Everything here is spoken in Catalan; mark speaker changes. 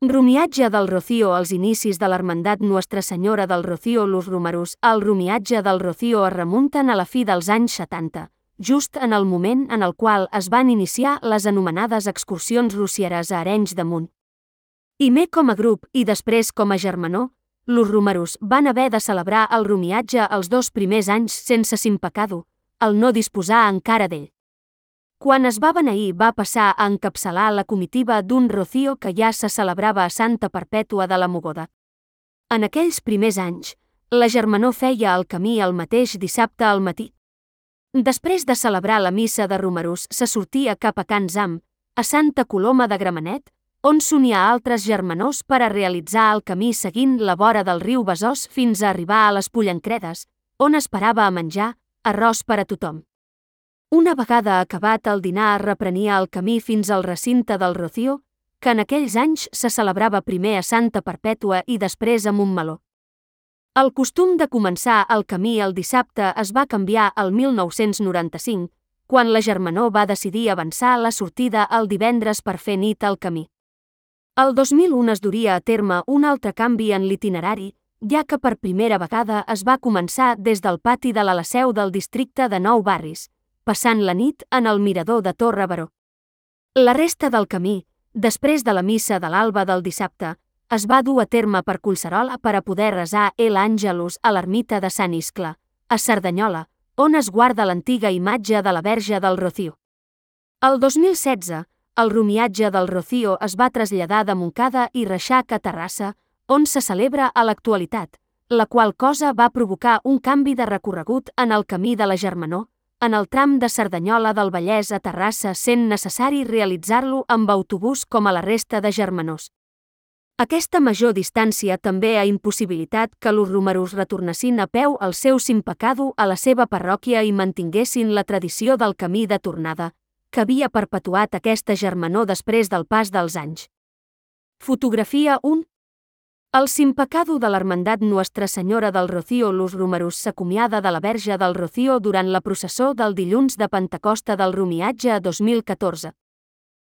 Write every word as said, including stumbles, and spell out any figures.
Speaker 1: Romiatge del Rocío. Als inicis de l'Hermandat Nuestra Senyora del Rocío. Los números al romiatge del Rocío es remunten a la fi dels anys setanta, just en el moment en el qual es van iniciar les anomenades excursions rocieres a Arenys de Munt. Primer com a grup i després com a germanor, los romeros van haver de celebrar el romiatge els dos primers anys sense Simpecado, al no disposar encara d'ell. Quan es va beneir va passar a encapçalar la comitiva d'un Rocío que ja se celebrava a Santa Perpètua de la Mogoda. En aquells primers anys, la germanor feia el camí el mateix dissabte al matí. Després de celebrar la missa de romeros se sortia cap a Can Zam, a Santa Coloma de Gramenet, on s'unia a altres germanors per a realitzar el camí seguint la vora del riu Besòs fins a arribar a les Pollancredes, on esperava a menjar arròs per a tothom. Una vegada acabat el dinar es reprenia el camí fins al recinte del Rocío, que en aquells anys se celebrava primer a Santa Perpètua i després a Montmeló. El costum de començar el camí el dissabte es va canviar el mil nou-cents noranta-cinc, quan la germanor va decidir avançar la sortida el divendres per fer nit al camí. El dos mil un es duria a terme un altre canvi en l'itinerari, ja que per primera vegada es va començar des del pati de la seu del districte de Nou Barris, passant la nit en el mirador de Torre Baró. La resta del camí, després de la missa de l'alba del dissabte, es va dur a terme per Collserola per a poder resar El Àngelus a l'ermita de Sant Iscle, a Cerdanyola, on es guarda l'antiga imatge de la Verge del Rocío. El dos mil setze, el romiatge del Rocío es va traslladar de Montcada i Reixac a Terrassa, on se celebra a l'actualitat, la qual cosa va provocar un canvi de recorregut en el camí de la germanor, en el tram de Cerdanyola del Vallès a Terrassa sent necessari realitzar-lo amb autobús com a la resta de germanors. Aquesta major distància també ha impossibilitat que los romeros retornessin a peu al seu Simpecado a la seva parròquia i mantinguessin la tradició del camí de tornada, que havia perpetuat aquesta germanor després del pas dels anys. Fotografia un. El Simpecado de l'Hermandat Nuestra Senyora del Rocío. Los romeros s'acomiada de la Verge del Rocío durant la processó del dilluns de Pentecosta del romiatge dos mil catorze.